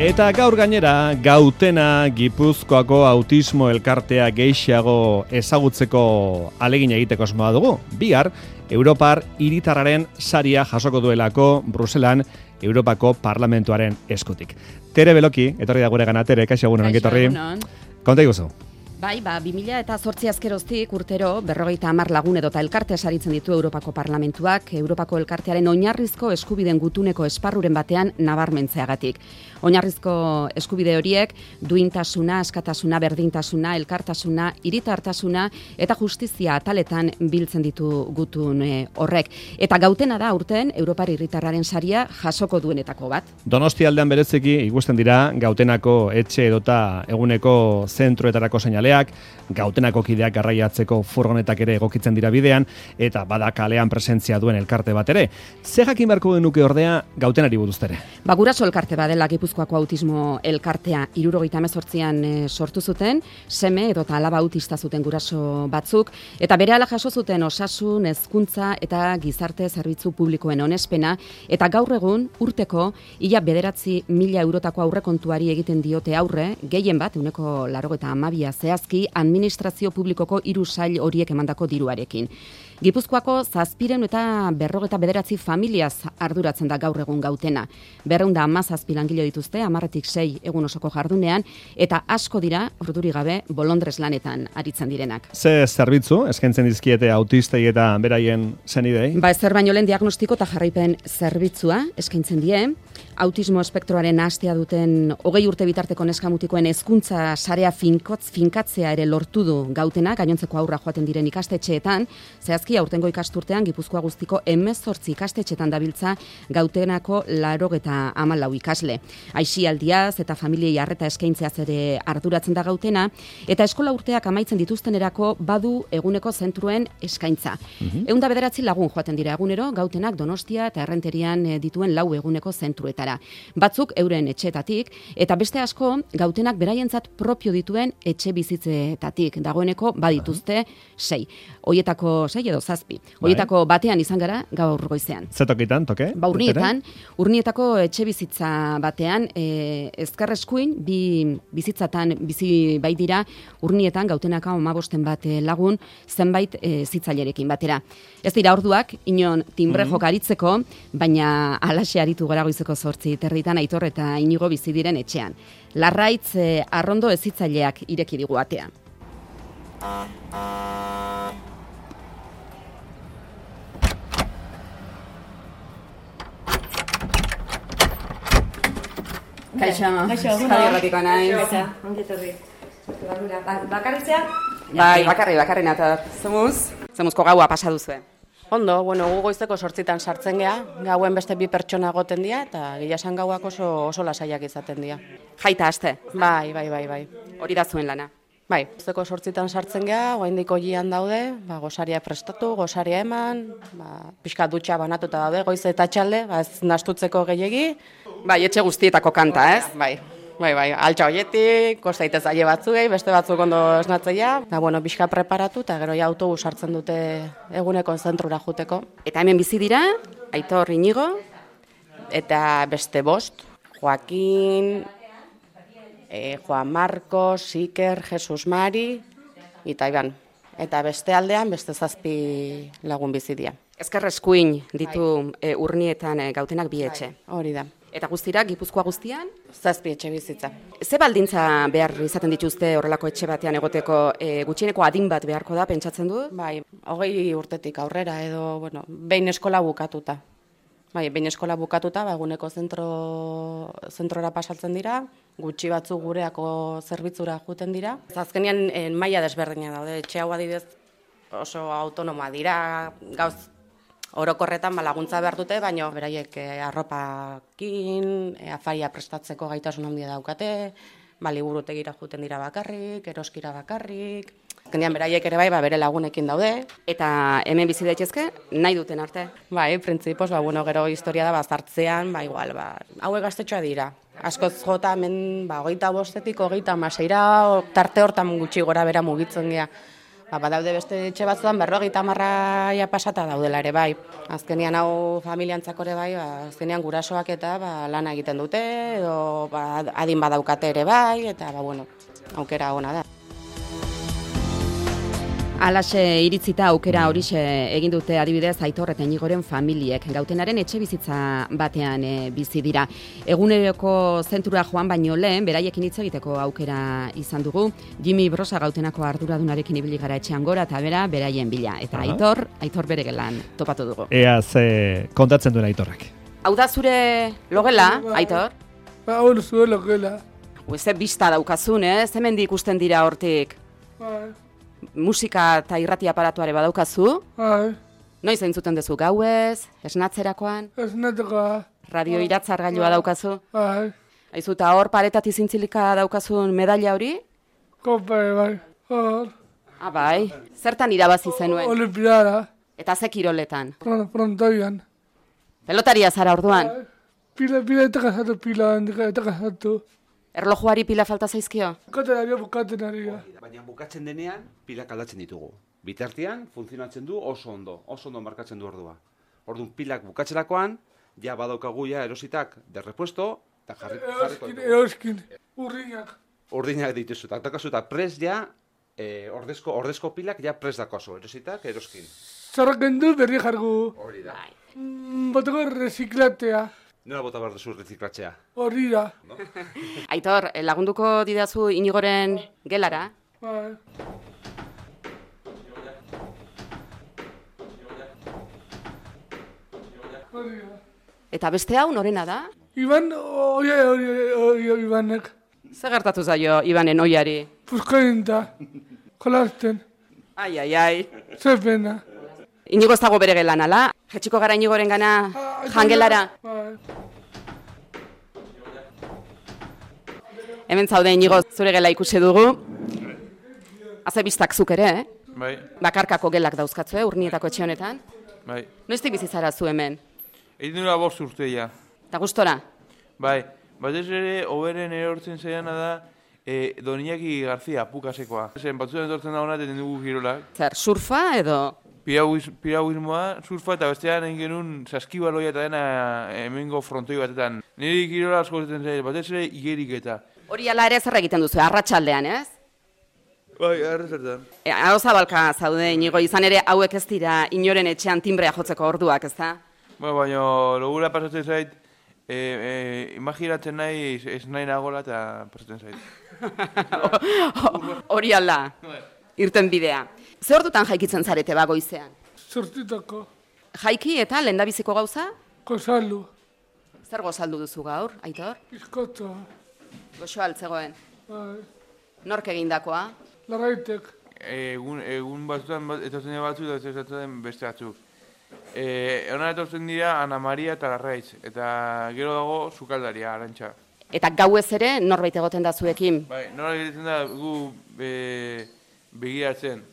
Eta gaur gainera, Gautena Gipuzkoako autismo elkartea gehiago ezagutzeko alegin egiteko asmoa dugu. Bihar, Europar hiritarraren saria jasoko duelako Bruselan Europako Parlamentuaren eskutik. Tere Beloki, etorri da gure gana, Tere, kaixo egunon, ongitorri. Konta iguzu. Bai, 2008 azkeroztik urtero 50 lagun edota elkarte saritzen ditu Europako Parlamentuak, Europako elkartearen oinarrizko eskubideen gutuneko esparruren batean nabarmentzeagatik. Oinarrizko eskubide horiek duintasuna, askatasuna, berdintasuna, elkartasuna, hiritartasuna eta justizia ataletan biltzen ditu gutun horrek. Eta Gautena da urten Europar hiritarraren saria jasoko duenetako bat. Donostia aldean bereziki ikusten dira Gautenako etxe edota eguneko zentroetarako seinaleak, Gautenako kideak garraiatzeko furgonetak ere egokitzen dira bidean, eta bada kalean presentzia duen elkarte bat ere. Ze jakin beharko genuke ordea Gautenari buruz, Tere? Guraso elkarte badela Gipuzkoako autismo elkartea 78an sortu zuten, seme edota alaba autista zuten guraso batzuk, eta berehala jaso zuten osasun, hezkuntza eta gizarte zerbitzu publikoen onespena, eta gaur egun urteko ia 9.000 eurotako aurrekontuari egiten diote aurre, gehien bat, 92 zehazki, administrazio publikoko 3 sail horiek emandako diruarekin. Gipuzkoako 749 familiaz arduratzen da gaur egun Gautena. 217 langile dituzte, 10-6 egun osoko jardunean, eta asko dira, orduri gabe, bolondrez lanetan aritzen direnak. Ze zerbitzu eskaintzen dizkiete autistei eta beraien senidei? Ezer baino lehen diagnostiko eta jarraipen zerbitzua eskaintzen die, autismo espektroaren nahastea duten 20 urte bitarteko neskamutikoen hezkuntza sarea finkatzea ere lortu du Gautena, gainontzeko aurra joaten diren ikastetxeetan, zehazki aurtengo ikasturtean Gipuzkoa guztiko 18 ikastetxeetan dabiltza Gautenako 94 ikasle. Aisialdiaz eta familiei arreta eskaintzeaz ere arduratzen da Gautena, eta eskola urteak amaitzen dituztenerako badu eguneko zentruen eskaintza. 109 lagun joaten dira egunero Gautenak Donostia eta Errenterian dituen 4 eguneko zentruetara. Batzuk euren etxeetatik, eta beste asko Gautenak beraientzat propio dituen etxe bizitzetatik. Dagoeneko badituzte 6. Hoietako 6 edo 7. Hoietako batean izan gara gaur goizean. Zetokitan, toke? Urnietako etxe bizitza batean, ezkerreskuin, bi bizitzatan bizi bai dira, Urnietan Gautenaka 15 bat lagun zenbait zitzailerekin batera. Ez dira orduak, inon timbre jokaritzeko, baina alaxe aritu gara goizeko 8:30 Aitor eta Inigo bizi diren etxean. Larraitz Arrondo ezitzaileak ireki digu atea. Kaixo, Javi Erratiko naiz. Ongi etorri. Bakarritzea? Bai, bakarri nata. Zemuzko gaua pasa duzue. Ondo, gu goizeko 8 sartzen gea, gauen beste 2 pertsona egoten dira, eta gila esan gauak oso lasaiak izaten dira. Jaita aste? Bai. Hori da zuen lana? Bai, goizeko 8 sartzen gea, oraindik oian daude, gosaria prestatu, gosaria eman, pixka dutxa banatuta daude, goiz eta txalde, ez nastutzeko gehiegi. Bai, etxe guztietako kanta, ez? Bai, altxa hoietik, kostaitez aile batzuei, beste batzuk ondo esnatzeia. Pixka preparatu eta gero autobus hartzen dute eguneko zentrura juteko. Eta hemen bizi dira, Aitor, Inigo, eta beste 5, Joaquin, Juan Marcos, Iker, Jesus Mari, eta Iban. Eta beste aldean, beste 7 lagun bizi dira. Ezkerreskuin ditu Urnietan Gautenak 2 etxe. Hori da. Eta guztira, Gipuzkoa guztian? 7 etxe bizitza. Ze baldintza behar izaten dituzte horrelako etxe batean egoteko, gutxieneko adin bat beharko da, pentsatzen du? Bai, 20 urtetik aurrera edo, behin eskola bukatuta. Behin eskola bukatuta, eguneko zentrora pasatzen dira, gutxi batzuk gureako zerbitzura juten dira. Azkenean maila desberdina daude, etxe hau adibidez oso autonoma dira, gauz orokorretan laguntza behar dute, baina beraiek arropakin, afaria prestatzeko gaitasun handia daukate, liburutegira juten dira bakarrik, eroskira bakarrik. Azkenean beraiek ere bere lagunekin daude. Eta hemen bizi daitezke, nahi duten arte? Bai, printzipioz, gero historia da bazartzean, hauek gaztetxoa dira. Askoz jota hemen 25-etik 36 tarte hortan gutxi gora bera mugitzen gea. Badaude beste etxe batzuan 50 pasata daudela ere bai. Azkenean hau familiantzako ere bai, azkenean gurasoak eta lana egiten dute, edo adin badaukate ere bai, eta bueno, aukera ona da. Alaxe iritzita aukera horixe egin dute adibidez Aitor eta Inigoren familiek. Gautenaren etxe bizitza batean bizi dira. Eguneroko zentrura joan baino lehen, beraiekin hitz egiteko aukera izan dugu. Jimmy Brosa Gautenako arduradunarekin ibili gara etxean gora eta beraien bila. Eta Aitor bere gelan topatu dugu. Ea ze kontatzen duen Aitorrak. Hau da zure logela, Aitor? Hau da zure logela. Ze bista daukazun, hemendik ikusten dira hortik. Musika eta irrati aparatuare badaukazu? Noiz entzuten duzu gauez, esnatzerakoan? Esnatzerakoa. Radio iratzargailua daukazu? Aizu, eta hor paretatik zintzilika daukazun medaila hori? Bai, hor. Bai, zertan irabazi zenuen? Olimpiara. Eta ze kiroletan? Frontoian. Pelotaria zara orduan? Pila eta kasatu. Erlojuari pila falta zaizkio? Bukatzen ari. Baina bukatzen denean, pilak aldatzen ditugu. Bitartean, funtzionatzen du oso ondo markatzen du ordua. Orduan, pilak bukatzerakoan, ja badaukagu ja erositak de repuesto, eta jarriko. Eroskin, urdinak. Urdinak dituzu, eta dakazu eta pres ja, ordezko pilak ja pres dakoazu, erositak, eroskin. Zarraken du berri jargu. Hori da. Botako reziklatea. Nola bota behar duzu reziklatzea? Hori da. Aitor, lagunduko didazu Inigoren gelara? Bai. Eta beste hau norena da? Iban, Ibanek. Zer gertatu zaio Ibanen oiari? Puskain da, jolasten. Ai. Zer pena. Inigo ez dago bere gelan, ala? Jetxiko gara Inigoren gana jangelara? Hemen zaude Inigo zure gela ikusi dugu. Haze biztak zuk ere, Bai. Bakarkako gelak dauzkatzu, urnietako etxe honetan? Bai. Noiztik bizizara zu hemen? Egin dira 5 urteia. Eta gustora? Bai. Batez ere, oberen erortzen zaiana da, Don Iñaki Garzia, Pukasekoa. Batzutan etortzen da hona, eten dugu girolak. Zer, surfa edo? Piragüismoa, surfa eta bestean egin genuen saskibaloia eta dena hemengo frontoi batetan. Niri girola asko zaten zaila, batez ere igerik eta. Hori ala ere zer egiten duzu, arratsaldean, ez? Bai, arrazertan. Hau zabalka zaude Inigo, izan ere hauek ez dira inoren etxean timbrea jotzeko orduak, ez da? Baina logura pasatzen zait, imaginatzen nahi ez nahi nagola eta pasatzen zait. Hori ala, irten bidea. Ze ordutan jaikitzen zarete goizean? Zortitako. Jaiki eta lehendabiziko gauza? Gozaldu. Zer gozaldu duzu gaur, Aitor? Bizkotza. Goxo altzegoen. Bai. Nork egindakoa? Larraitek. Egun batzutan etortzen batzu eta etortzen beste batzuk. Hona etortzen dira Ana Maria eta Larraiz, eta gero dago Sukaldaria, Arantxa. Eta gauez ere norbait egoten da zuekin? Bai, nola egiten da gu begiratzen.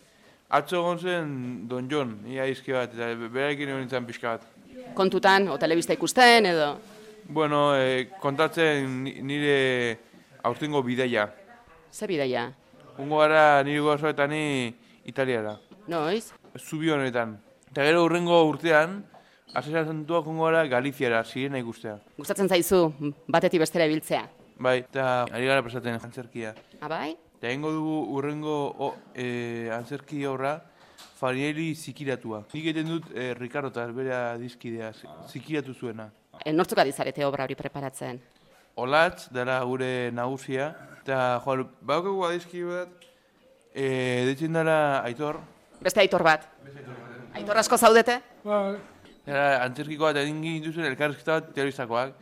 Atzo egon zen Don Jon, ia izki bat, eta berarekin egon nintzen pixka bat. Kontutan, o telebista ikusten edo? Bueno, kontatzen nire aurtengo bidaia. Ze bidaia? Ungo gara nire gozo eta ni Italiara. Noiz? Zubi honetan. Eta gero urrengo urtean, asesantuak ungo gara Galiziara, Sirena ikustea. Gustatzen zaizu, batetik bestera ibiltzea? Bai, eta ari gara presatzen antzerkia. Bai? Eta egingo dugu urrengo antzerki horra Farieli zikiratua. Nik egiten dut Ricardo eta bera dizkidea, zikiratu zuena. Nortzuk adizarete obra hori preparatzen? Olatz, dara gure nagusia. Eta, baukagu adizki bat, deitzen dara Aitor. Beste Aitor bat? Aitor asko zaudete? Bai. Eta antzerkiko bat egin dituzuen elkarrizketa bat terroristakoak.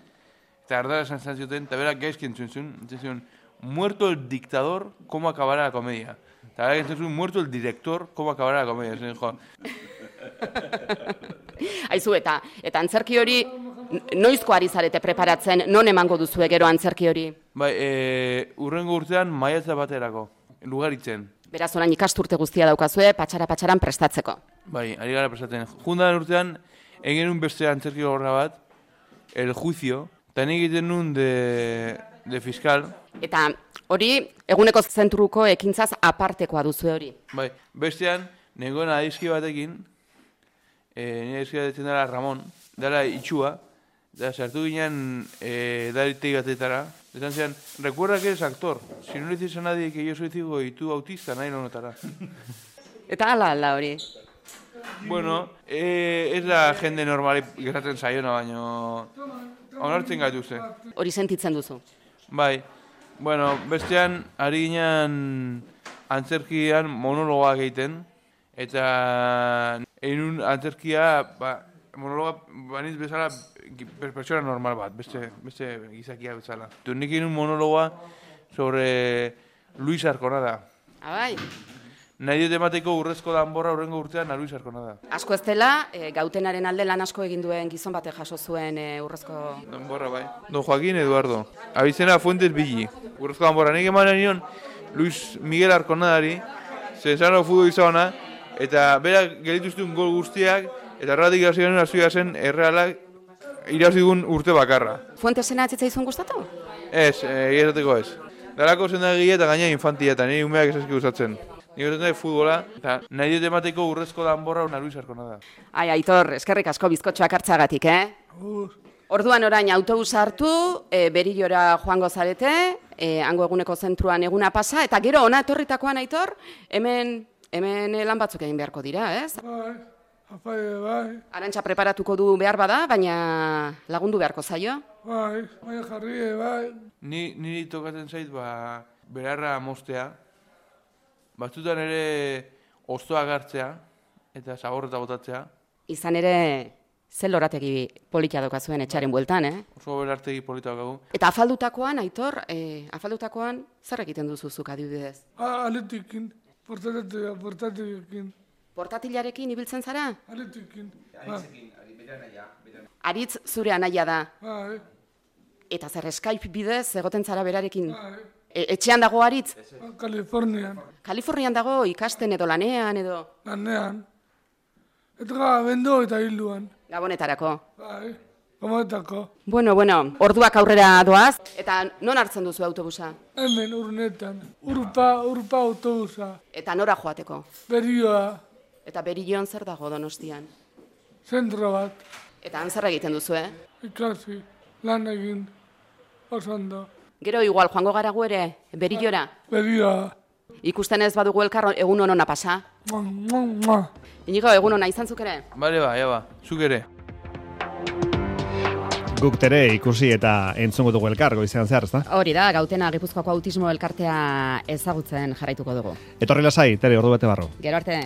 Eta ardara esan zioten, eta berak gaizki entzun zuen, muerto el dictador, ¿cómo acabará la comedia? Eta berak entzun zuen, muerto el director, ¿cómo acabará la comedia? Zen, jo. Aizu, eta antzerki hori noizko ari zarete preparatzen, non emango duzue gero antzerki hori? Bai, urrengo urtean maiatza baterako, Lugaritzen. Beraz, orain ikasturte guztia daukazue, patxaran prestatzeko. Bai, ari gara prestatzen. Jundan urtean, egin un beste antzerki horra bat, El Juicio, eta nik egiten nun de de fiscal. Eta hori, eguneko zentruko ekintzaz apartekoa duzu hori. Bai, bestean, nengoen adizki batekin, nire adizki batekin dela Ramon, dela itxua, da sartu ginen daritegi batetara, esan zian, recuerda que eres actor, si no le dices a nadie que yo soy ciego y tú autista, nadie lo notará. Eta ala hori. Bueno, ez da jende normali gertatzen zaiona, baino onartzen gaituzte. Hori sentitzen duzu. Bai, bueno, bestean, ari ginen antzerkian monologoak egiten, eta egin antzerkia, monologa baniz bezala pertsona normal bat, beste gizakia bezala. Nik egin monologoa sobre Luis Arconada. Bai. Nahi dut emateko urrezko danborra urrengo urtean Luis Arconada. Asko ez dela, Gautenaren alde lan asko egin duen gizon batek jaso zuen urrezko... Danborra, bai. Don Joaquín Eduardo. Abizena Fuentes Billi. Urrezko danborra. Nik emanen nion Luis Miguel Arconadari, zezano futbol izabona, eta berak gelituztun gol guztiak, eta erratik gazioen azuia zen errealak irazigun urte bakarra. Fuentesena atzitzaizun gustatu? Ez, egiazateko ez. Dalako zendagile eta gaina infantia, eta nire umeak esazki usatzen. Nik esaten dut futbola, eta nahi dut emateko urrezko danborra una Luis Arconada. Ai, Aitor, eskerrik asko bizkotxoak hartzagatik, Orduan orain autobus hartu, Berillora joango zarete, hango eguneko zentruan eguna pasa, eta gero ona etorritakoan, Aitor, hemen lan batzuk egin beharko dira, ez? Bai, bai. Arantxa preparatuko du behar bada, baina lagundu beharko zaio. Bai, jarri, bai. Niri tokatzen zait, berarra mostea, batzutan ere oztoak hartzea, eta zaborreta botatzea. Izan ere, ze lorategi politia dokazuen etxaren bueltan, Oso belartegi polita dokagu. Eta afaldutakoan, Aitor, afaldutakoan zer egiten duzuzuk adibidez? Aletikin, portatilekin. Portatilarekin ibiltzen zara? Aletikin. Aritz zure anaia da. Bai. Eta zer Skype bidez egoten zara berarekin? Bai. Etxean dago Aritz? Kalifornian. Kalifornian dago ikasten edo lanean edo? Lanean. Eta bendo eta hilduan. Gabonetarako. Bai, gabonetarako. Bueno, orduak aurrera doaz. Eta non hartzen duzu autobusa? Hemen, urnetan. Urpa autobusa. Eta nora joateko? Berioa. Eta Berilloan zer dago Donostian? Zentro bat. Eta han zer egiten duzu, Ikasi, lan egin, oso ondo. Gero igual joango gara gu ere, Berillora? Berioa. Ikusten ez badugu elkar egun honona pasa? Inigo, egun hona izan zuk ere? Bale zuk ere. Guk tere ikusi eta entzungo dugu elkar goizean zehar, ezta? Hori da, Gautena Gipuzkoako autismo elkartea ezagutzen jarraituko dugu. Etorri lasai, tere, ordu bete barru. Gero arte.